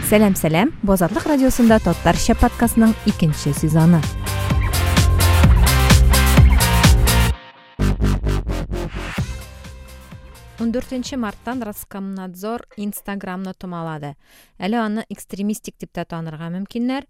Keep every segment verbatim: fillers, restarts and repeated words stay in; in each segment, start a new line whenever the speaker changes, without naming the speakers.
Сәлам, сәлам! Бу Азатлык радиосында Татарча подкастның икенче сезоны. Ундүртенче марттан Роскомнадзор Инстаграмны томалады. Әле аны экстремистик дип тә танырга мөмкиннәр.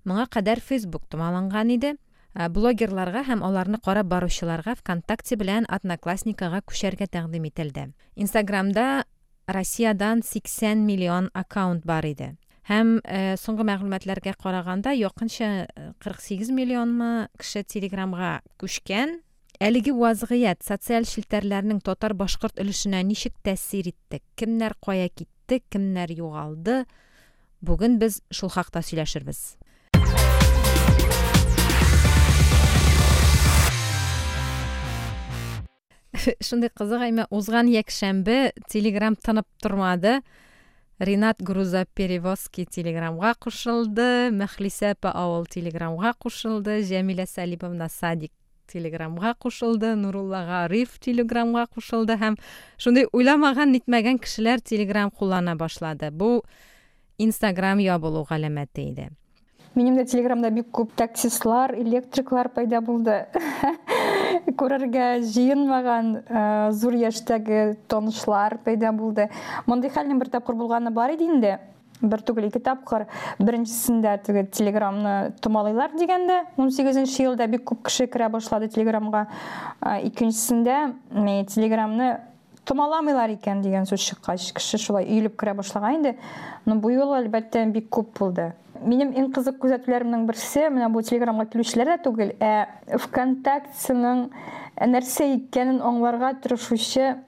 Моңа кадәр Facebook томаланган иде. Блогерларга һәм аларны карап баручыларга ВКонтакте белән Одноклассникага күчәргә тәкъдим ителде. Инстаграмда Россиядан сиксән миллион аккаунт бар иде. Һәм э, соңгы мәгълүматларга караганда якынча кырык сигез миллионмы кеше Телеграмга күчкән. Әлеге вазгыять социаль челтәрләрнең татар-башкорт өлешенә ничек тәэсир итте? Кемнәр кая китте, кемнәр югалды? Бүген без шул хакта сөйләшербез. Шундый кызык, әмма узган якшәмбе Телеграм тынып тормады. Ринат Грузоперевозки Телеграмга кушылды, Мөхлисә апа авыл Телеграмга кушылды, Җәмилә Сәлимовна Садик Телеграмга кушылды, Нурулла Гариф Телеграмга кушылды һәм шундый уйламаган, нитмәгән кешеләр Телеграм куллана башлады. Бу Инстаграм ябылу галәмәте иде.
Минем дә Телеграмда бик күп таксистлар, электриклар пайда булды. Күрергә җыенмаган, э, зур яшьтәге танышлар пайда булды. Мондый хәлнең бер тапкыр булганы бар иде инде. Бер түгел, ике тапкыр. Беренчесендә теге Телеграмны томалыйлар дигәндә, ун сигезенче елда бик күп кеше керә башлады Телеграмга. Э, икенчесендә, м, Телеграмны томаламыйлар икән дигән сүз чыккач, кеше шулай өелеп керә башлаган инде. Но бу юлы, әлбәттә, бик күп булды. Минем иң кызык күзәтүләремнең берсе, менә бу Телеграмга килүчеләр дә түгел, ә ВКонтактеның нәрсә икәнен аңларга тырышучы,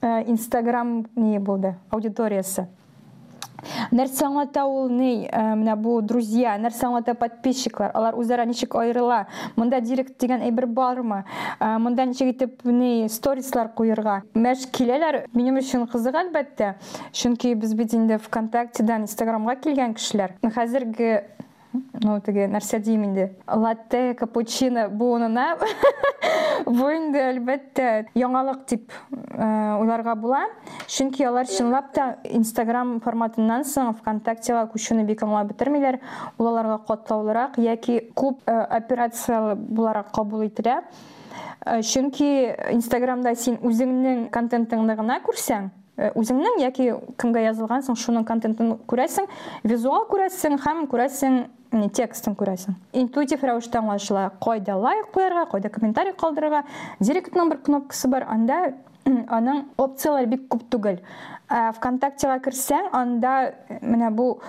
э, Инстаграм ни булды, аудиториясе. Нәрсә аңлата ул ни, э, менә бу друзья, нәрсә аңлата подписчиклар, алар үзара ничек аерыла, монда директ дигән әйбер бармы, э, монда ничек итеп ни сторислар куерга. Мәш киләләр, минем өчен кызык әлбәттә, чөнки без бит инде ВКонтактедан Инстаграмга килгән кешеләр. Хәзерге, ну, теге нәрсә дим инде, латте, капучино буынына бу инде әлбәттә яңалык дип, э, уйларга була, чөнки алар чынлап та Инстаграм форматыннан соң ВКонтактега күчүне бик аңлап бетермиләр, ул аларга катлаулырак яки күп, э, операциялы буларак кабул ителә. Э, чөнки Инстаграмда син үзеңнең контентыңны гына күрсәң, э, үзеңнең яки кемгә язылгансың, шуның контентын күрәсең, визуал күрәсең һәм күрәсең, не, текстын күрәсең. Интуитив рәвештә аңлашыла, кайда лайк куярга, кайда комментарий калдырырга. Директның бер кнопкасы бар, анда аның опцияләре бик күп түгел. Ә ВКонтактега керсәң, анда менә бу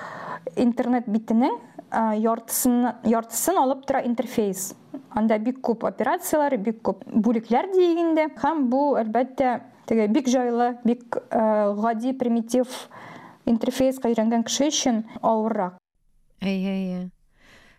интернет битенең, а, яртысын, яртысын алып тора интерфейс. Анда бик күп операцияләр, бик күп бүлекләр диек инде. Һәм бу, әлбәттә, теге бик җайлы, бик, э, гади, примитив интерфейска өйрәнгән кеше өчен авыррак.
Әйе, әйе.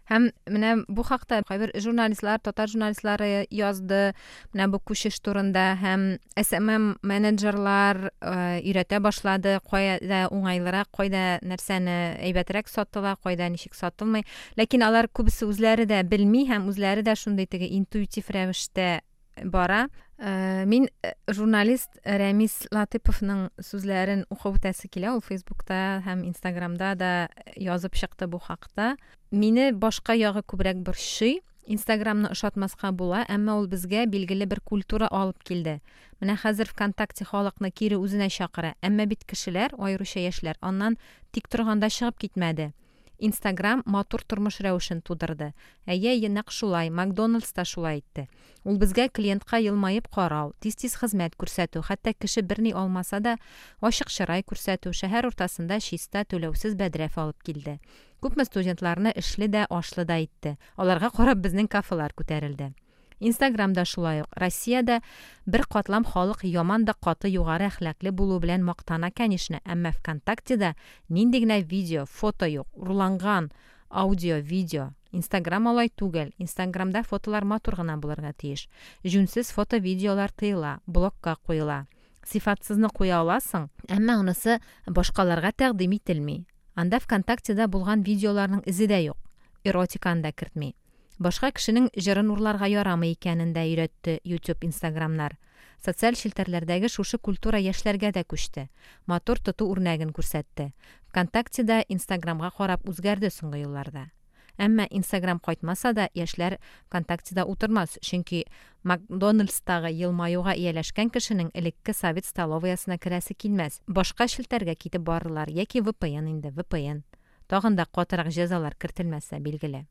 Һәм менә бу хакта кайбер журналистлар, татар журналистлары язды, менә бу күчеш турында һәм эс эм эм менеджерлар, э, өйрәтә башлады, кайда уңайлырак, кайда нәрсәне әйбәтрәк сатыла, кайда ничек сатылмый. Ләкин алар күбесе үзләре дә белми һәм үзләре дә шундый теге интуитив рәвештә бара. Э, мин, э, журналист Рәмис Латыповның сүзләрен укып үтәсе килә, ул Фейсбукта һәм Инстаграмда да язып чыкты бу хакта. Мине башка ягы күбрәк борчый. Инстаграмны ошатмаска була, әмма ул безгә билгеле бер культура алып килде. Менә хәзер ВКонтакте халыкны кире үзенә чакыра, әмма бит кешеләр, аеруча яшьләр, аннан тик торганда чыгып китмәде. Инстаграм матур тормыш рәвешен тудырды. Әйе, әйе, нәкъ шулай, Макдоналдс та шулай итте. Ул безгә клиентка елмаеп карау, тиз-тиз хезмәт күрсәтү, хәтта кеше берни алмаса да, ачык чырай күрсәтү, шәһәр уртасында чиста түләүсез бәдрәф алып килде. Күпме студентларны эшле дә, ашлы да итте. Аларга карап безнең кафелар күтәрелде. Инстаграмда шулай ук. Россиядә бер катлам халык яман да каты югары әхлаклы булу белән мактана, конечно, әмма ВКонтактеда нинди генә видео, фото юк, урланган аудио, видео. Инстаграм алай түгел. Инстаграмда фотолар матур гына булырга тиеш. Җүнсез фото-видеолар тыела, блокка куела. Сифатсызны куя аласың, әмма анысы башкаларга тәкъдим ителми. Анда ВКонтактеда булган видеоларның эзе дә юк. Эротиканы да кертми. Башка кешенең җырын урларга ярамый икәнен дә өйрәтте YouTube, Инстаграмнар. Социаль челтәрләрдәге шушы культура яшьләргә дә күчте. Матур тоту үрнәген күрсәтте. ВКонтактеда Инстаграмга карап үзгәрде соңгы елларда. Әмма Инстаграм кайтмаса да, яшьләр ВКонтактеда утырмас, чөнки Макдональдстагы елмаюга ияләшкән кешенең элекке совет столоваясына керәсе килмәс. Башка челтәргә китеп барырлар яки V P N инде, V P N. Тагын да катырак җәзалар кертелмәсә, билгеле.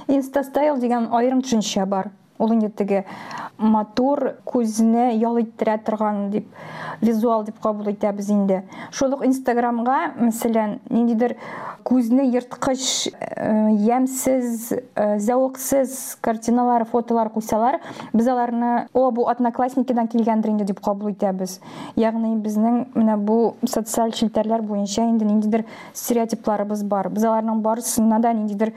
Инстастайл дигән аерым төшенчә бар. Ул инде теге матур, күзне ял иттерә торган дип, визуал дип кабул итәбез инде. Шул ук Инстаграмга, мәсәлән, ниндидер күзне ерткыч, э, ямьсез, э, зәвыксыз картиналар, фотолар куйсалар, без аларны, о, бу Одноклассникидан килгәндер инде дип кабул итәбез. Ягъни безнең менә бу социаль челтәрләр буенча инде ниндидер стереотипларыбыз бар. Без аларның барысына да ниндидер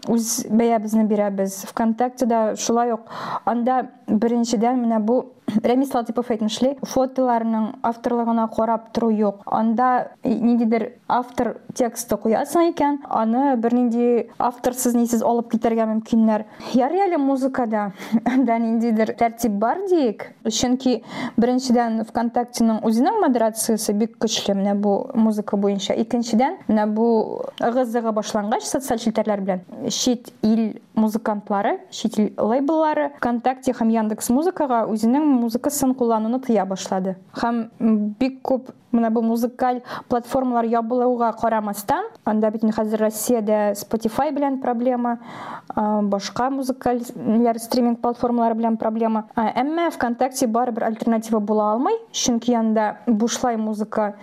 үз бәябезне бирәбез. ВКонтактеда шулай ук анда беренчедән менә бу Рәмис Латыйпов әйтмешли, фотоларның авторлыгына карап тору юк. Анда ниндидер автор тексты куясың икән, аны бернинди авторсыз нисез алып китәргә мөмкиннәр. Ярый әле музыкада анда ниндидер тәртип бар диек, чөнки беренчедән ВКонтактеның үзенең модерациясе бик көчле менә бу музыка буенча. Икенчедән, менә бу ыгы-зыгы башлангач социаль челтәрләр белән чит ил музыкантлары, чит ил лейбллары ВКонтакте һәм Яндекс Музыкага үзенең музыкасын куллануны тыя башлады. Һәм бик күп менә бу музыкаль платформалар ябылуга карамастан, анда бит инде хәзер Россиядә Spotify белән проблема, а, башка музыкаль стриминг платформалары белән проблема. А, әмма ВКонтакте барыбер альтернатива була алмый, чөнки анда бушлай музыка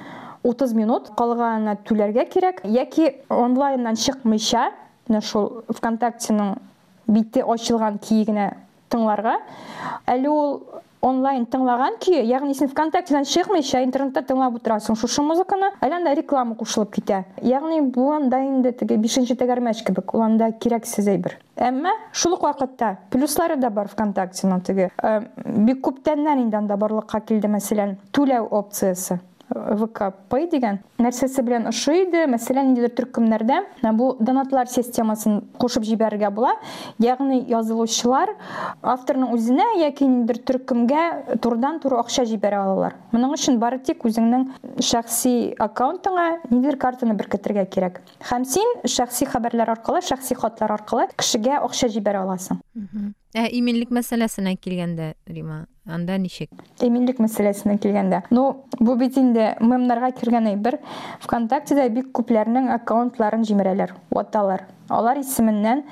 утыз минут, калганына түләргә кирәк, яки онлайннан чыкмыйча, менә шул ВКонтактеның бите ачылган көе генә тыңларга. Әле ул онлайн тыңлаган көе, ягъни син ВКонтактедан чыкмыйча интернетта тыңлап утырасың шушы музыканы, әле анда реклама кушылып китә. Ягъни бу анда инде теге бишенче тәгәрмәч кебек, ул анда кирәксез әйбер. Әмма шул ук вакытта плюслары да бар ВКонтактеның теге. Э, бик күптәннән инде анда барлыкка килде, мәсәлән, түләү опциясе. вэ ка Pay дигән нәрсәсе белән ошый иде. Мәсәлән, ниндидер төркемнәрдә менә бу донатлар системасын кушып җибәрергә була. Ягъни язылучылар авторның үзенә яки ниндидер төркемгә турыдан-туры акча җибәрә алалар. Моның өчен бары тик үзеңнең шәхси аккаунтыңа ниндидер картаны беркетергә кирәк. Һәм син шәхси хәбәрләр аркылы, шәхси хатлар аркылы кешегә акча җибәрә аласың.
Мгм. Ә иминлек мәсьәләсенә килгәндә, Рима, анда ничек?
Иминлек мәсьәләсенә килгәндә. Ну, бу бит инде мемнарга кергән әйбер. ВКонтактеда бик күпләрнең аккаунтларын җимерәләр, ваталар. Алар исеменнән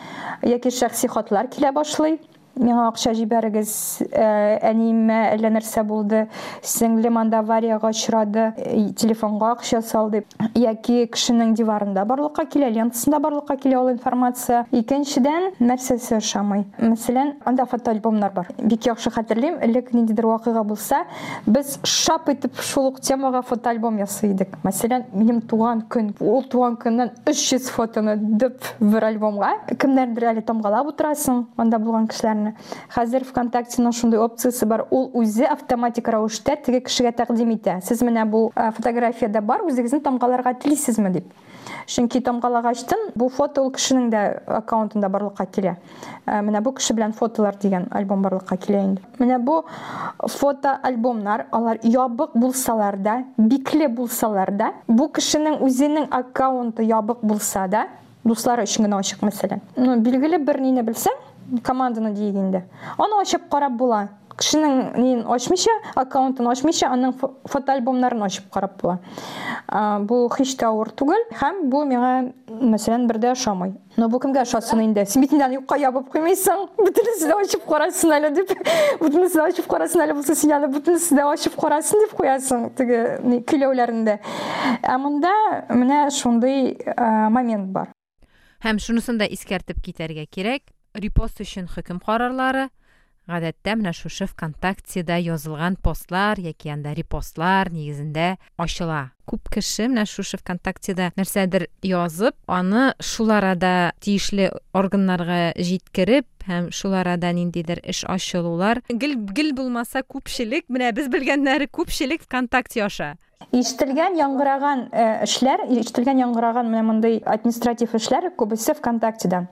яки шәхси хатлар килә башлый. Миңа акча җибәрегез, э, әниемә әллә нәрсә булды, сеңлем анда аварияга очрады, э, телефонга акча сал дип. Яки кешенең диварында барлыкка килә, лентасында барлыкка килә ул информация. Икенчедән, нәрсәсе ошамый? Мәсәлән, анда фотоальбомнар бар. Бик яхшы хәтерлим, элек ниндидер вакыйга булса, без шап итеп шул ук темага фотоальбом ясый идек. Мәсәлән, минем туган көн, ул туган көннән өч йөз фотоны дөп бер альбомга. Кемнәрдер әле тамгалап утырасың, анда булган кешеләрне. Хәзер ВКонтактеның шундый опциясе бар, ул үзе автоматик рәвештә теге кешегә тәкъдим итә. Сез менә бу, э, фотографиядә бар, үзегезне тамгаларга телисезме дип. Чөнки тамгалагачтын бу фото ул кешенең дә аккаунтында барлыкка килә. Э, менә бу кеше белән фотолар дигән альбом барлыкка килә инде. Менә бу фотоальбомнар, алар ябык булсалар да, бикле булсалар да, бу кешенең үзенең аккаунты ябык булса да, дуслары өчен генә ачык мәсәлән. Ну, билгеле бер нине белсәң, команданы диек инде. Аны ачып карап була. Кешенең нин ачмыйча, аккаунтын ачмыйча, аның фо-, фотоальбомнарын ачып карап була. А, бу һич тә авыр түгел һәм бу миңа, мәсәлән, бер дә ошамый. Но бу кемгә ошасын инде? Син бит инде аны юкка ябып куймыйсың. Бөтенесе дә ачып карасын әле дип. Бөтенесе дә ачып карасын әле булса, син аны бөтенесе дә ачып карасын дип куясың теге ни, көйләүләрендә. Ә монда менә шундый, а, момент бар.
Һәм шунысын да искәртеп китәргә кирәк. Репост өчен хөкем карарлары гадәттә менә шушы ВКонтактеда язылган постлар яки анда репостлар нигезендә ачыла. Күп кеше менә шушы ВКонтактеда нәрсәдер язып, аны шул арада тиешле органнарга җиткереп һәм шул арада ниндидер эш ачылулар. Гел, гел булмаса күпчелек, менә без белгәннәре күпчелек ВКонтакте аша.
Ишетелгән, яңгыраган эшләр, ишетелгән, яңгыраган менә мондый административ эшләр күбесе ВКонтактедан.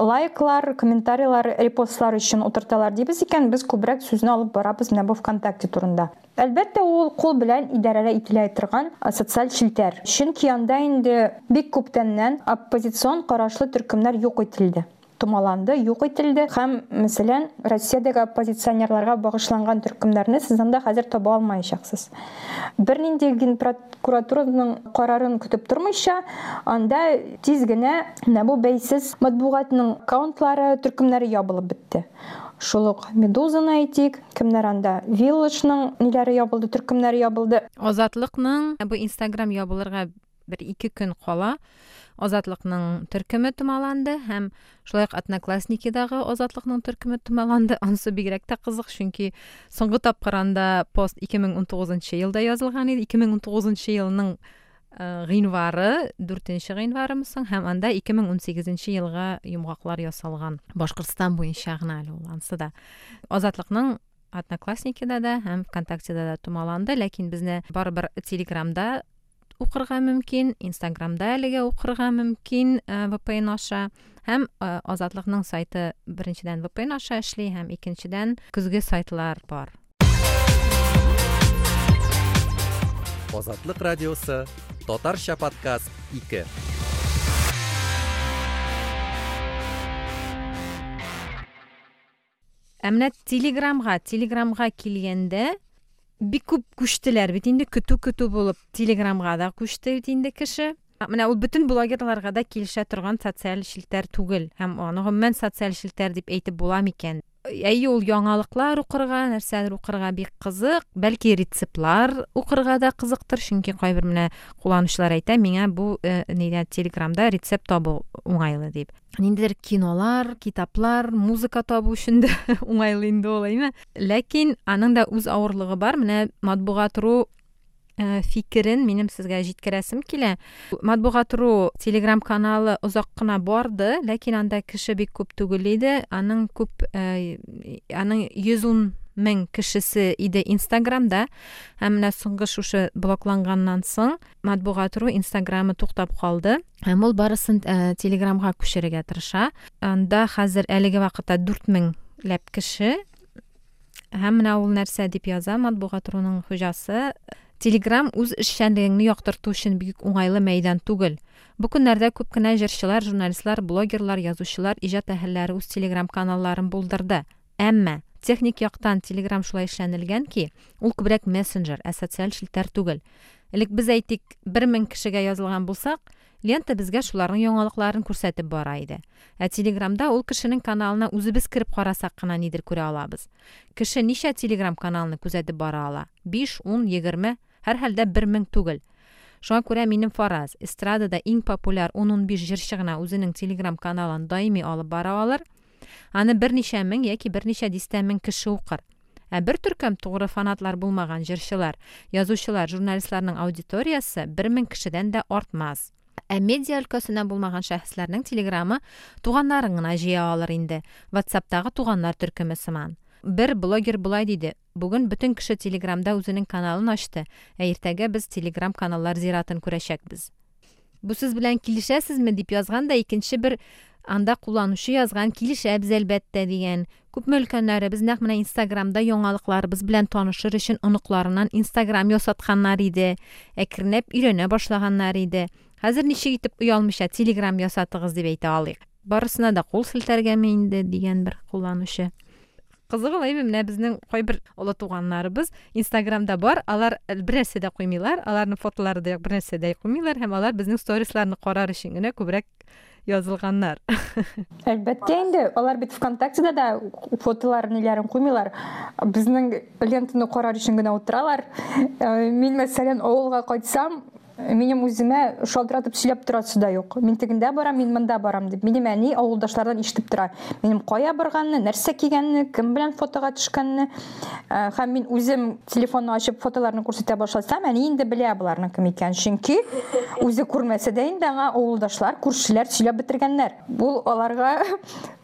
Лайклар, комментарийлар, репостлар өчен утырталар дибез икән, без күбрәк сүзне алып барабыз менә бу ВКонтакте турында. Әлбәттә, ул кул белән идарә ителә торган социаль челтәр. Чөнки анда инде бик күптәннән оппозицион карашлы төркемнәр юк ителде. Томаланды, юк ителде. Һәм, мәсәлән, Россиядәге оппозиционерларга багышланган төркемнәрне сез анда хәзер таба алмаячаксыз. Бернинди генпрокуратураның карарын көтеп тормыйча, анда тиз генә менә бу бәйсез матбугатның аккаунтлары, төркемнәре ябылып бетте. Шул ук Медузаны әйтик, кемнәр анда? Виллажның ниләре ябылды, төркемнәре ябылды.
Азатлыкның бу Инстаграм ябылырга бер ике көн кала Азатлыкның төркеме томаланды һәм шулай ук Одноклассникидагы Азатлыкның төркеме томаланды. Анысы бигрәк тә кызык, чөнки соңгы тапкыр анда пост ике мең унтугызынчы елда язылган иде. ике мең унтугызынчы елның гыйнвары, дүртенче гыйнварымы соң, һәм анда ике мең унсигезенче елга йомгаклар ясалган. Башкортстан буенча гына әле ул анысы да. Азатлыкның Одноклассникида да һәм ВКонтактеда да томаланды, ләкин безне барыбер Телеграмда укырга мөмкин, Инстаграмда әлегә укырга мөмкин вэ пэ эн аша. Һәм Азатлыкның сайты беренчедән вэ пэ эн аша эшли, һәм икенчедән көзге сайтлар бар.
Азатлык радиосы, Татарча подкаст ике.
Ә менә Телеграмга, Телеграмга килгәндә бик күп күчтеләр бит инде, көтү-көтү булып Телеграмга да күчте бит инде кеше. Менә ул бөтен блогерларга да килешә торган социаль челтәр түгел. Һәм аны гомумән социаль челтәр дип әйтеп була микән? Әйе, ул яңалыклар укырга, нәрсәләр укырга бик кызык, бәлки рецептлар укырга да кызыктыр, чөнки кайбер менә кулланучылар әйтә, миңа бу, э, нидә Телеграмда рецепт табу уңайлы дип. Ниндидер кинолар, китаплар, музыка табу өчен дә уңайлы инде ул, әйме? Ләкин аның да үз авырлыгы бар. Менә Матбугат.ру фикерен минем сезгә җиткерәсем килә. Матбугат.ру Телеграм каналы озак кына барды, ләкин анда кеше бик күп түгел иде. Аның күп, аның йөз ун мең кешесе иде Инстаграмда. Һәм менә соңгы шушы блокланганнан соң Матбугат.ру Инстаграмы туктап калды. Һәм ул барысын Телеграмга күчерергә тырыша. Анда хәзер әлеге вакытта дүрт меңләп кеше. Һәм менә ул нәрсә дип яза Матбугат.руның хуҗасы: Телеграм үз эшчәнлегеңне яктырту өчен бик уңайлы мәйдан түгел. Бу көннәрдә күп кенә җырчылар, журналистлар, блогерлар, язучылар, иҗат әһелләре үз Телеграм каналларын булдырды. Әмма техник яктан Телеграм шулай эшләнелгән ки, ул күбрәк мессенджер, ә социаль челтәр түгел. Элек без әйтик, бер мең кешегә язылган булсак, лента безгә шуларның яңалыкларын күрсәтеп бара иде. Ә Телеграмда ул кешенең каналына үзебез кереп карасак кына нидер күрә алабыз. Кеше ничә Телеграм каналны күзәтеп бара ала? Биш, ун, егерме, һәр хәлдә бер мең түгел. Шуңа күрә минем фараз, эстрадада иң популяр ун-ун биш җырчы гына үзенең Телеграм каналын даими алып бара алыр. Аны берничә мең яки берничә дистә мең кеше укыр. Ә бер төркем тугры фанатлар булмаган җырчылар, язучылар, журналистларның аудиториясе бер мең кешедән дә артмас. Ә медиа өлкәсеннән булмаган шәхесләрнең Телеграмы туганнарын гына җыя алыр инде. WhatsAppтагы туганнар төркеме сыман. Бер блогер болай диде: бүген бөтен кеше Телеграмда үзенең каналын ачты, ә иртәгә без Телеграм каналлар зиратын күрәчәкбез. Бу сүз белән килешәсезме дип язган да икенче бер анда кулланучы язган, килешәбез әлбәттә дигән. Күпме өлкәннәребез нәкъ менә Инстаграмда яңалыкларыбыз белән танышыр өчен оныкларыннан Инстаграм ясатканнар иде, әкренләп өйрәнә башлаганнар иде. Хәзер ничек итеп оялмыйча Телеграм ясатыгыз дип әйтә алыйк. Барысына да кул селтәргәме инде дигән бер кулланучы. Кызыгы әйме, менә безнең кайбер олы туганнарыбыз Инстаграмда бар, алар бер нәрсә дә куймыйлар, аларның фотолары да юк, бер нәрсә дә куймыйлар һәм алар безнең сторисларны карар өчен генә күбрәк язылганнар.
Әлбәттә инде, алар бит ВКонтактеда да фотоларын, ниләрен куймыйлар. Безнең лентаны карар өчен генә утыралар. Мин, мәсәлән, авылга кайтсам, минем үземә шалтыратып сөйләп торасы да юк. Мин тегендә барам, мин монда барам дип. Минем әни авылдашлардан ишетеп тора. Минем кая барганны, нәрсә кигәнне, кем белән фотога төшкәнне. Һәм мин үзем телефонны ачып фотоларны күрсәтә башласам, әни инде белә боларның кем икәнен. Чөнки үзе күрмәсә дә инде аңа авылдашлар, күршеләр сөйләп бетергәннәр. Бу аларга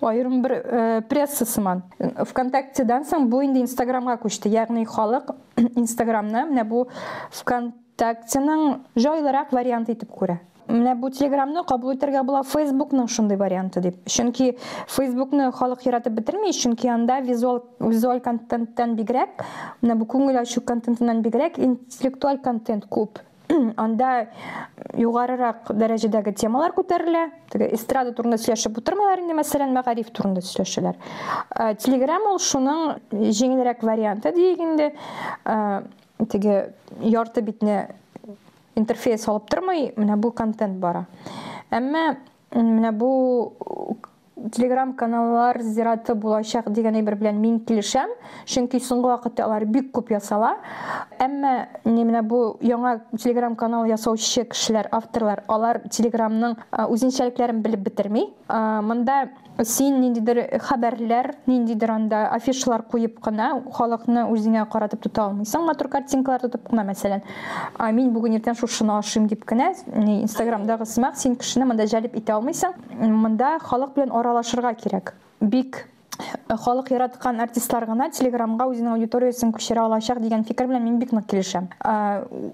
аерым бер пресса сыман. ВКонтактедан соң бу инде Инстаграмга күчте. Ягъни халык Инстаграмны менә бу Вконтакте ВКонтактеның җайлырак варианты итеп күрә. Менә бу Телеграмны кабул итәргә була Фейсбукның шундый варианты дип. Чөнки Фейсбукны халык яратып бетерми, чөнки анда визуаль визуаль контенттан бигрәк, менә бу күңел ачу контентыннан бигрәк интеллектуаль контент күп. Анда югарырак дәрәҗәдәге темалар күтәрелә. Теге эстрада турында сөйләшеп утырмыйлар инде, мәсәлән, мәгариф турында сөйләшәләр. Телеграм ул шуның җиңелрәк варианты диек инде. Теге ярты битне интерфейс алып тормый, менә бу контент бара. Әмма менә бу Телеграм каналлар зираты булачак дигән әйбер белән мин килешәм, чөнки соңгы вакытта алар бик күп ясала. Әмма менә бу яңа Телеграм канал ясаучы кешеләр, авторлар, алар Телеграмның үзенчәлекләрен белеп бетерми. Монда син ниндидер хәбәрләр, ниндидер анда афишалар куеп кына халыкны үзеңә каратып тота алмыйсың, матур картинкалар тотып кына, мәсәлән, мин бүген иртән шушыны ашыйм дип кенә, Инстаграмдагы сымак син кешене монда җәлеп итә алмыйсың. Монда халык белән аралашырга кирәк. Бик халык яраткан артистлар гына Телеграмга үзенең аудиториясен күчерә алачак дигән фикер белән мин бик нык килешәм.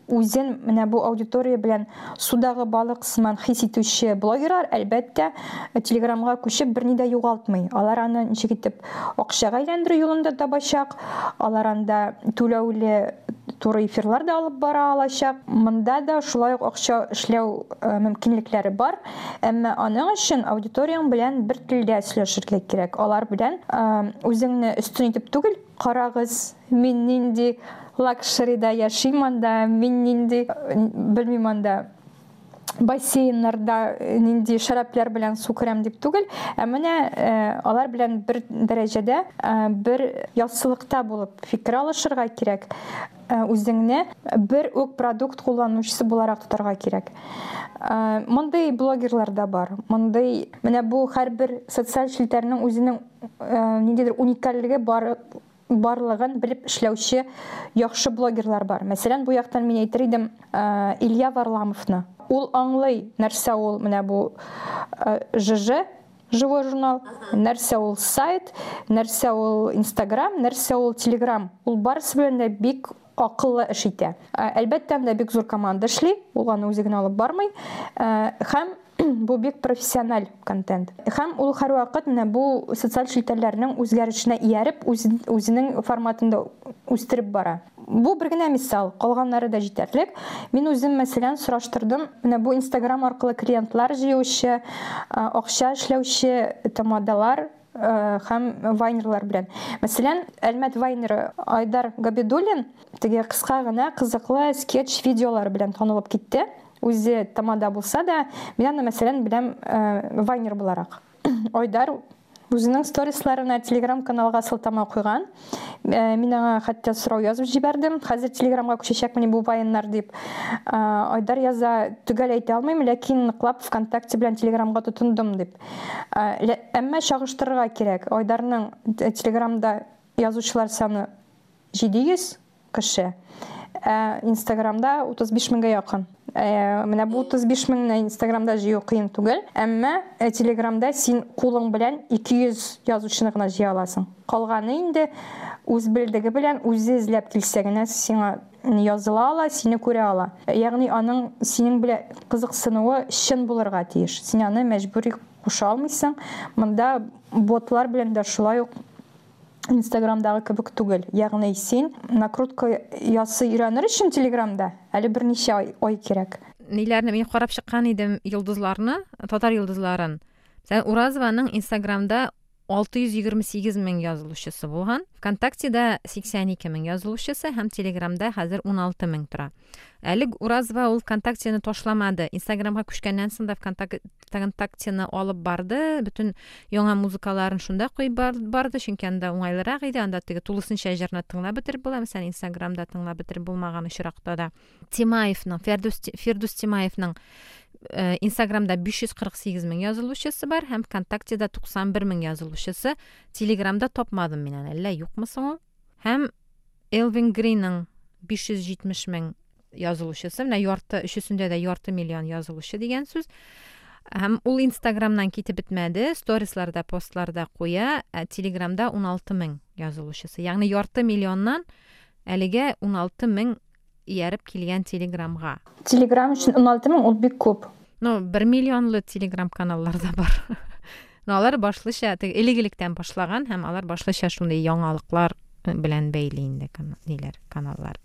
Үзен менә бу аудитория белән судагы балык сыман хис итүче блогерлар, әлбәттә, Телеграмга күчеп берни дә югалтмый. Алар аны ничек итеп акчага әйләндерү юлында табачак, алар анда түләүле туры эфирлар да алып бара алачак. Монда да шулай ук акча эшләү мөмкинлекләре бар, әмма аның өчен аудиторияң белән бер телдә сөйләшергә кирәк. Алар белән үзеңне өстен итеп түгел, карагыз, мин нинди лакшерида яшим анда, мин нинди, белмим анда, бассейннарда нинди шәраплар белән су керәм дип түгел, ә менә алар белән бер дәрәҗәдә, бер яссылыкта булып фикер алышырга кирәк. Үзеңне бер үк продукт кулланучысы буларак тотарга кирәк. Мондый блогерлар да бар. Мондый, менә бу һәрбер социаль челтәрнең үзенең ниндидер уникальлеге бар, барлыгын белеп эшләүче яхшы блогерлар бар. Мәсәлән, бу яктан мин әйтер идем Илья Варламовны. Ул аңлый, нәрсә ул менә бу Ж Ж, живой журнал, нәрсә ул сайт, нәрсә ул Инстаграм, нәрсә ул Телеграм. Ул барысы белән дә бик акыллы эш итә. Әлбәттә, анда бик зур команда эшли, ул аны үзе генә алып бармый. Һәм бу бик профессиональ контент. Һәм ул һәрвакыт менә бу социаль челтәрләрнең үзгәрешенә ияреп, үзенең форматында үстереп бара. Бу бер генә мисал, калганнары да җитәрлек. Мин үзем, мәсәлән, сораштырдым, менә бу Инстаграм аркылы клиентлар җыючы, акча эшләүче тамадалар һәм вайнерлар белән. Мәсәлән, Әлмәт вайнеры Айдар Габидуллин теге кыска гына кызыклы скетч видеолар белән танылып китте. Үзе тамада булса да, мин аны, мәсәлән, беләм вайнер буларак. Айдар үзенең сторисларына Телеграм каналга сылтама куйган. Мин аңа хәтта сорау язып җибәрдем. Хәзер Телеграмга күчәчәкмени бу вайннар дип. Айдар яза, төгәл әйтә алмыйм, ләкин ныклап ВКонтакте белән Телеграмга тотындым дип. Әмма чагыштырырга кирәк. Айдарның Телеграмда язучылар саны җиде йөз кеше, ә Инстаграмда утыз биш меңгә якын. Менә бу утыз биш меңне Инстаграмда җыю кыен түгел, әмма Телеграмда син кулың белән ике йөз язучыны гына җыя аласың. Калганы инде үз белдеге белән үзе эзләп килсә генә сиңа языла ала, сине күрә ала. Ягъни аның синең белән кызыксынуы чын булырга тиеш. Син аны мәҗбүри куша алмыйсың. Монда ботлар белән дә шулай ук Инстаграмдагы кебек түгел. Ягъни син накрутка ясый өйрәнер өчен Телеграмда әле берничә ай, ай кирәк.
Ниләрне мин карап чыккан идем, йолдызларны, татар йолдызларын. Мәсәлән, Уразованың Инстаграмда алты йөз егерме сигез мең язылучысы булган, ВКонтактеда сиксән ике мең язылучысы һәм Телеграмда хәзер ун алты мең тора. Әле Уразова ул ВКонтактены ташламады. Инстаграмга күчкәннән соң да ВКонтактены алып барды, бөтен яңа музыкаларын шунда куеп барды, чөнки анда уңайлырак иде, анда теге тулысынча җырны тыңлап бетереп була, мәсәлән, Инстаграмда тыңлап бетереп булмаган очракта да. Тимаевның, Фирдүс, Фирдүс Тимаевның Инстаграмда биш йөз кырык сигез мең язылучысы бар һәм ВКонтактеда туксан бер мең язылучысы. Телеграмда тапмадым мин аны, әллә юкмы соң ул? Һәм Элвин Гринның биш йөз җитмеш мең язылучысы, менә ярты, өчесендә дә ярты миллион язылучы дигән сүз. Һәм ул Инстаграмнан китеп бетмәде, сторисларда, постларда куя, ә Телеграмда ун алты мең язылучысы. Ягъни ярты миллионнан әлегә ун алты мең ияреп килгән Телеграмга.
Телеграм өчен уналты мең ул бик күп.
Ну, бер миллионлы Телеграм каналлар да бар. Но алар башлыча теге элек-электән башлаган һәм алар башлыча шундый яңалыклар белән бәйле инде ниләр, каналлар.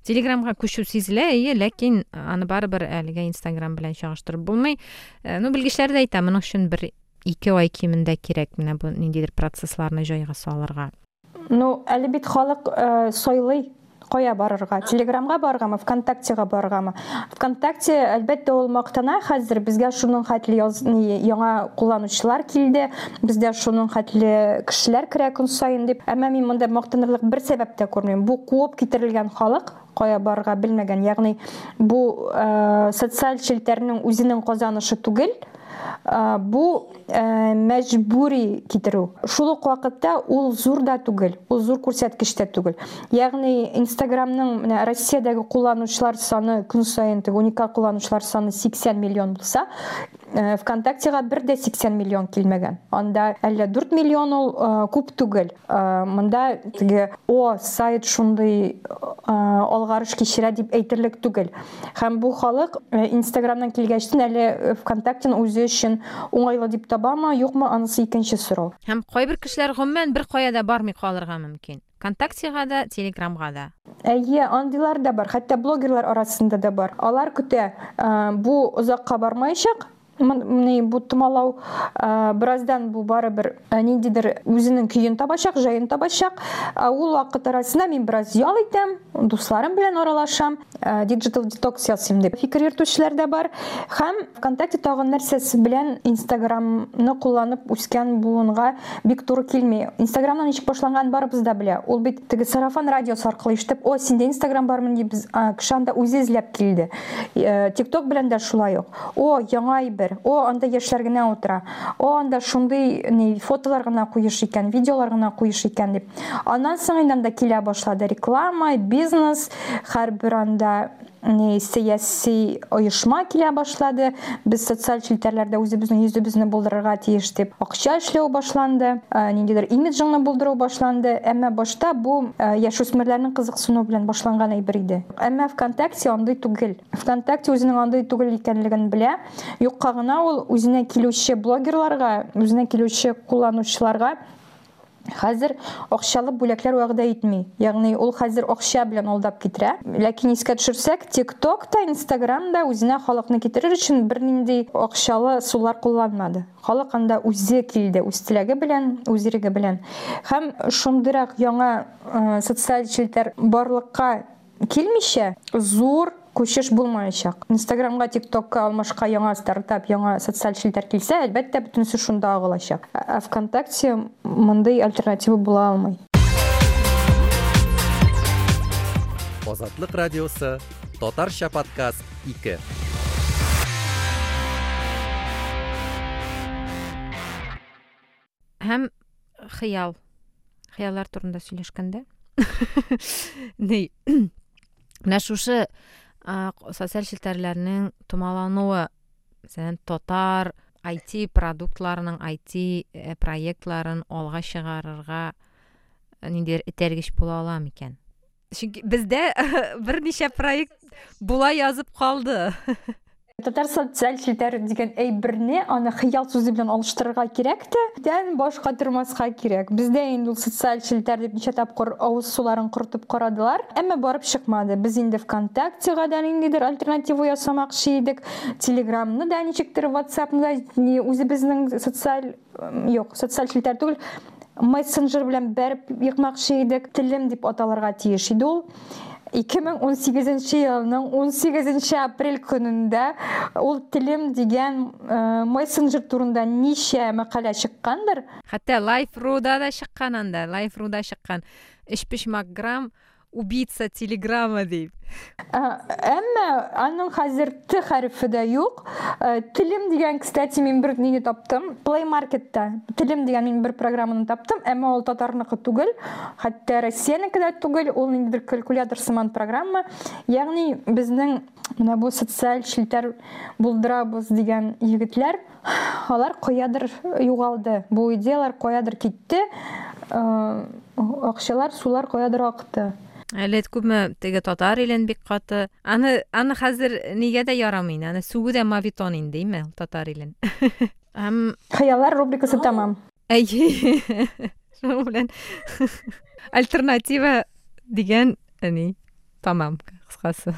Телеграмга күчү сизелә, әйе, ләкин аны барыбер әлегә Инстаграм белән чагыштырып булмый. Ну, белгечләр дә әйтә, моның өчен бер ике ай кимендә кирәк менә бу ниндидер процессларны җайга салырга.
Ну, әле бит халык э, сайлый кая барырга, Телеграмга барыргамы, ВКонтактега барыргамы. ВКонтакте, әлбәттә, ул мактана хәзер, безгә шуның хәтле яз, ни, яңа кулланучылар килде, бездә шуның хәтле кешеләр керә көн саен дип. Әмма мин монда мактанырлык бер сәбәп тә күрмим. Бу куып китерелгән халык кая барырга белмәгән, ягъни бу э, социаль челтәрнең үзенең казанышы түгел, бу мәҗбүри китерү. Шул ук вакытта ул зур да түгел, ул зур күрсәткеч тә түгел. Ягъни Инстаграмның менә Россиядәге кулланучылар саны көн саен теге уникаль кулланучылар саны сиксән миллион булса, ВКонтактега бер дә сиксән миллион килмәгән. Анда әллә дүрт миллион ул күп түгел. Монда теге о сайт шундый алгарыш кичерә дип әйтерлек түгел. Һәм бу халык Инстаграмнан килгәчтен әле ВКонтактены үзе өчен уңайлы дип табамы, юкмы, анысы икенче сорау.
Һәм кайбер кешеләр гомумән бер кая да бармый калырга мөмкин. ВКонтактега да, Телеграмга да.
Әйе, андыйлар да бар, хәтта блогерлар арасында да бар. Алар көтә, бу озакка бармаячак. Ни бу томалау, бераздан бу барыбер ниндидер үзенең көен табачак, җаен табачак. Ул вакыт арасында мин бераз ял итәм, дусларым белән аралашам, digital detox ясыйм дип фикер йөртүчеләр дә бар. Һәм ВКонтакте тагын нәрсәсе белән Инстаграмны кулланып үскән буынга бик туры килми. Инстаграмнан ничек башланган барыбыз да белә. Ул бит теге сарафан радиосы аркылы ишетеп, о, синдә Инстаграм бармы дип, кеше анда үзе эзләп килде. ТикТок белән дә шулай ук. О, яңа әйбер. О, анда яшьләр генә утыра. О, анда шундый ни фотолар гына куеш икән, видеолар гына куеш икән дип. Аннан соң инде анда килә башлады реклама, бизнес, һәрбер анда ни сәяси оешма килә башлады. Без социаль челтәрләрдә үзебезнең йөзебезне булдырырга тиеш дип акча эшләү башланды, ниндидер имиджыңны булдыру башланды. Әмма башта бу яшүсмерләрнең кызыксынуы белән башланган әйбер иде. Әмма ВКонтакте андый түгел. ВКонтакте үзенең андый түгел икәнлеген белә. Юкка гына ул үзенә килүче блогерларга, үзенә килүче кулланучыларга хәзер акчалы бүләкләр вәгъдә итми. Ягъни ул хәзер акча белән алдап китерә. Ләкин искә төшерсәк, TikTok та, Instagram да үзенә халыкны китерер өчен бернинди акчалы сулар кулланмады. Халык анда үзе килде, үз теләге белән, үз иреге белән. Һәм шундыйрак яңа социаль челтәр барлыкка килмичә, зур күчеш булмаячак. Инстаграмга, TikTokка алмашка яңа стартап, яңа социаль челтәр килсә, әлбәттә, бөтенесе шунда агылачак. Ә ВКонтакте мондый альтернатива була алмый.
Азатлык радиосы, Татарча подкаст ике.
Һәм хыял. Хыяллар турында сөйләшкәндә. Ни, менә шушы социаль челтәрләрнең томалануы, мәсәлән, татар ай ти продуктларының, ай ти проектларын алга чыгарырга ниндидер этәргеч була ала микән? Чөнки бездә берничә проект була язып калды.
Татар социаль челтәр дигән әйберне аны хыял сүзе белән алыштырырга кирәк тә, дән башка тормаска кирәк. Бездә инде ул социаль челтәр дип ничә тапкыр авыз суларын корытып карадылар, әмма барып чыкмады. Без инде ВКонтактега да ниндидер альтернатива ясамакчы идек, Телеграмны да ничектер, WhatsAppны да үзебезнең социаль, юк, социаль челтәр түгел, мессенджер белән бәреп йыкмакчы идек. Телем дип аталырга тиеш иде ул. ике мең ун сигезенче елның ун сигезенче апрель көнендә ул телем дигән мессенджер турында ничә мәкалә чыккандыр.
Хәтта Life.ru-да да чыккан анда, Life.ru-да чыккан. Өчпочмак грамм убийца Телеграма дип.
Әмма аның хәзер Т хәрефе дә юк. Телем дигән, кстати, мин бер нине таптым. Play Marketта Телем дигән мин бер программаны таптым, әмма ул татарныкы түгел, хәтта Россиянеке дә түгел, ул ниндидер калькулятор сыман программа. Ягъни безнең менә бу социаль челтәр булдырабыз дигән егетләр, алар каядыр югалды. Бу идеялар каядыр китте. Акчалар, сулар каядыр акты.
Әле күпме теге татар илен бик каты. Аны аны хәзер нигә дә ярамый, аны сүгү дә мавитон инде, име, татар илен. Һәм
Хыяллар рубрикасы тәмам.
Әйе. Шуның белән альтернатива дигән әни тамам, кыскасы.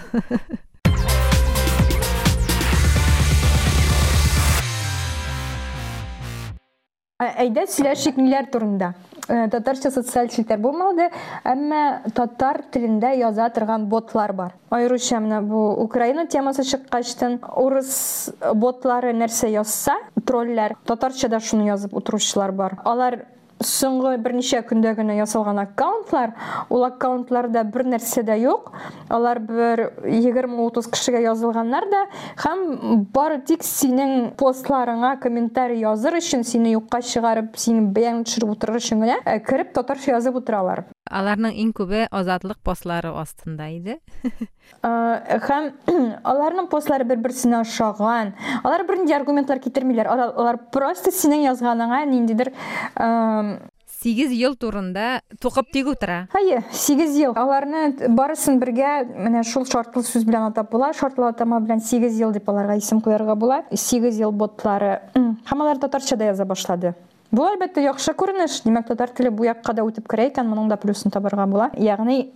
Әйдә сөйләшик ниләр турында. Татарча социаль челтәр булмады, әмма татар телендә яза торган ботлар бар. Аеруча менә бу Украина темасы чыккачтын урыс ботлары нәрсә язса, тролләр, татарча да шуны язып утыручылар бар. Алар соңгы берничә көндә генә ясалган аккаунтлар, ул аккаунтларда бер нәрсә дә юк. Алар бер егерме утыз кешегә язылганнар да, һәм бары тик синең постларыңа комментарий языр өчен, сине юкка чыгарып, синең бәяңне төшереп утырыр өчен генә кереп татарча язып утыралар.
Аларның иң күбе Азатлык постлары астында иде.
Һәм аларның постлары бер-берсенә ошаган. Алар бернинди аргументлар китермиләр. Алар, алар просто синең язганыңа ниндидер
сигез ел турында тукып тик утыра.
Әйе, сигез ел. Аларны барысын бергә менә шул шартлы сүз белән атап була. Шартлы атама белән сигез ел дип аларга исем куярга була. Сигез ел ботлары. Һәм алар татарча да яза башлады. Бу әлбәттә яхшы күренеш. Димәк, татар теле бу якка да үтеп керә икән, моның да плюсын табарга була. Ягъни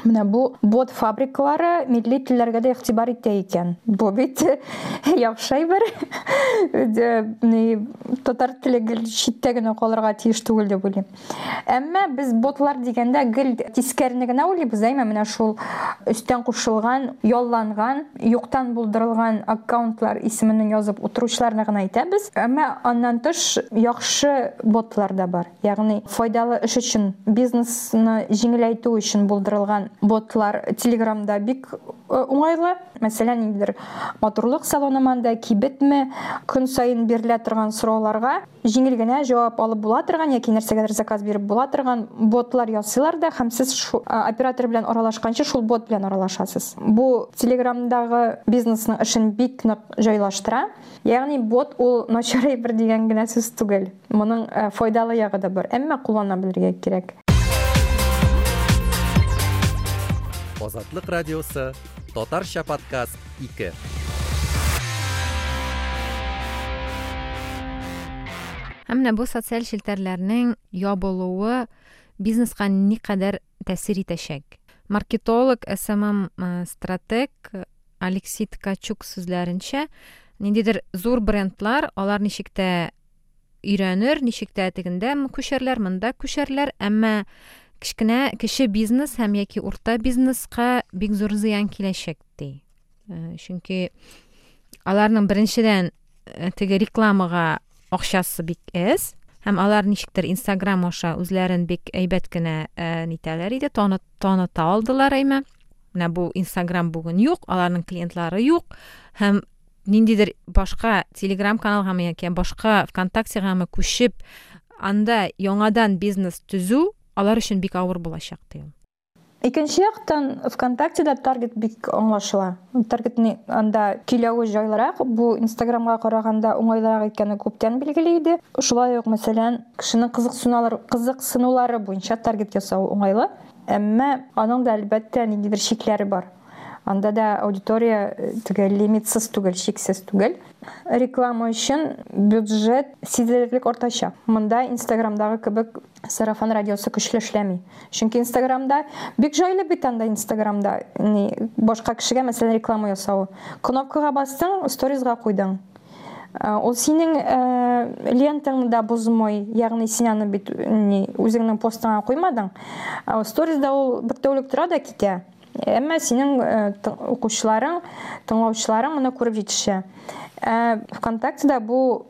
менә бу бот фабрикалары милли телләргә дә игътибар итә икән. Бу бит яхшы әйбер. Татар теле гел читтә генә калырга тиеш түгел дип уйлыйм. Әмма без ботлар дигәндә гел тискәрене генә уйлыйбыз, әйме? Менә шул өстән кушылган, ялланган, юктан булдырылган аккаунтлар исеменнән язып утыручыларны гына әйтәбез. Әмма аннан тыш яхшы ботлар да бар. Ягъни файдалы эш өчен, бизнесны җиңеләйтү өчен булдырылган ботлар Телеграмда бик уңайлы. Мәсәлән, ниндидер матурлык салоны манда, кибетме, көн саен бирелә торган сорауларга җиңел генә җавап алып була торган яки нәрсәгәдер заказ биреп була торган ботлар ясыйлар да, һәм сез шу оператор белән аралашканчы шул бот белән аралашасыз. Бу Телеграмдагы бизнесның эшен бик нык җайлаштыра. Ягъни бот ул начар әйбер дигән генә сүз түгел. Моның файдалы ягы да бар, әмма куллана белергә кирәк.
Азатлык радиосы, татарча подкаст ике.
Һәм менә бу социаль челтәрләрнең ябылуы бизнеска никадәр тәэсир итәчәк. Маркетолог, эс эм эм стратег Алексей Ткачук сүзләренчә, ниндидер зур брендлар, алар ничек тә өйрәнер, ничек тә тегендә күчәрләр, монда күчәрләр, әмма кечкенә кеше бизнес һәм яки урта бизнеска бик зур зыян киләчәк ди. Чөнки аларның беренчедән теге рекламага акчасы бик әз, һәм алар ничектер Instagram аша үзләрен бик әйбәт кенә нитәләр иде, таныта алдылар әйме. Менә бу Instagram бүген юк, аларның клиентлары юк, һәм ниндидер башка Telegram каналга яки башка ВКонтактега күчеп, анда яңадан бизнес төзү алар өчен бик авыр булачак ди.
Икенче яктан ВКонтактеда таргет бик аңлашыла. Таргетны анда көйләве җайлырак, бу Инстаграмга караганда уңайлырак икәне күптән билгеле иде. Шулай ук, мәсәлән, кешенең кызыксынулары, кызыксынулары буенча таргет ясау уңайлы, әмма аның да әлбәттә ниндидер чикләре бар. Анда да аудитория теге лимитсыз түгел, чиксез түгел. Реклама өчен бюджет сизелерлек артачак. Монда Инстаграмдагы кебек сарафан радиосы көчле эшләми. Чөнки Инстаграмда бик җайлы бит анда Инстаграмда ни башка кешегә мәсәлән реклама ясау. Кнопкага бастың, сторизга куйдың. Ул синең лентаңны да бозмый, ягъни син аны бит ни үзеңнең постыңа куймадың. Сторизда ул бер тәүлек тора да китә. Әмма синең укучыларың, тыңлаучыларың моны күреп җитешә. ВКонтактеда бу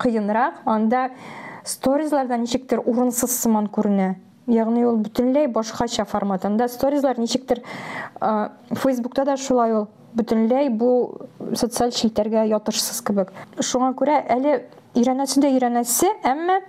кыенрак, анда сторизларда ничектер урынсыз сыман күренә. Ягъни ул бөтенләй башкача формат. Анда сторизлар ничектер Фейсбукта да шулай ул бөтенләй бу социаль челтәргә ятышсыз кебек. Шуңа күрә әле өйрәнәсе дә өйрәнәсе, әмма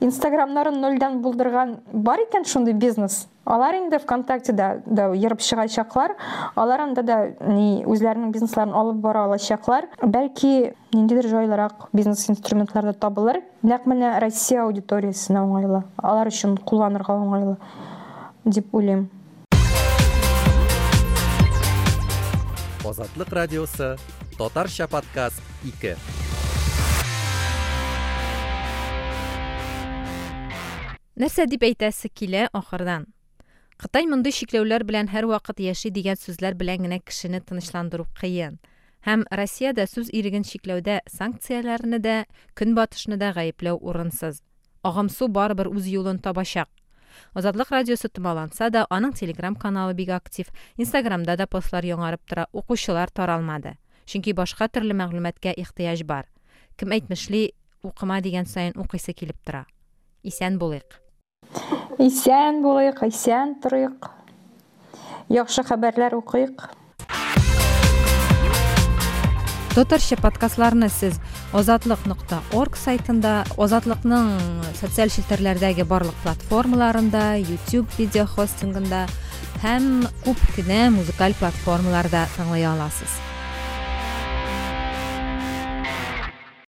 Инстаграмнарын нольдән булдырган бар икән шундый бизнес. Алар инде ВКонтактеда да ерып чыгачаклар, алар анда да ни үзләренең бизнесларын алып бара алачаклар. Бәлки ниндидер җайлырак бизнес инструментлар да табылыр. Нәкъ менә Россия аудиториясенә уңайлы, алар өчен кулланырга уңайлы дип уйлыйм.
Азатлык радиосы, Татарча подкаст ике.
Нәрсә дип әйтәсе килә ахырдан? Кытай мондый чикләүләр белән һәр вакыт яши дигән сүзләр белән генә кешене тынычландыру кыен. Һәм Россиядә сүз иреген чикләүдә санкцияләрне дә, көнбатышны да гаепләү урынсыз. Агымсу барыбер үз юлын табачак. Азатлык радиосы томаланса да, аның Telegram каналы бик актив, Инстаграмда да постлар яңарып тора, укучылар таралмады. Чөнки башка төрле мәгълүматка ихтыяҗ бар. Кем әйтмешли, укыма дигән саен укыйсы килеп тора. Исән булыйк.
Исән булыйк, исән торыйк. Яхшы хәбәрләр укыйк.
Татарча подкастларны сез азатлык нокта орг сайтында, Азатлыкның социаль челтәрләрдәге барлык платформаларында, YouTube видео хостингында һәм күп кенә музыкаль платформаларда тыңлый аласыз.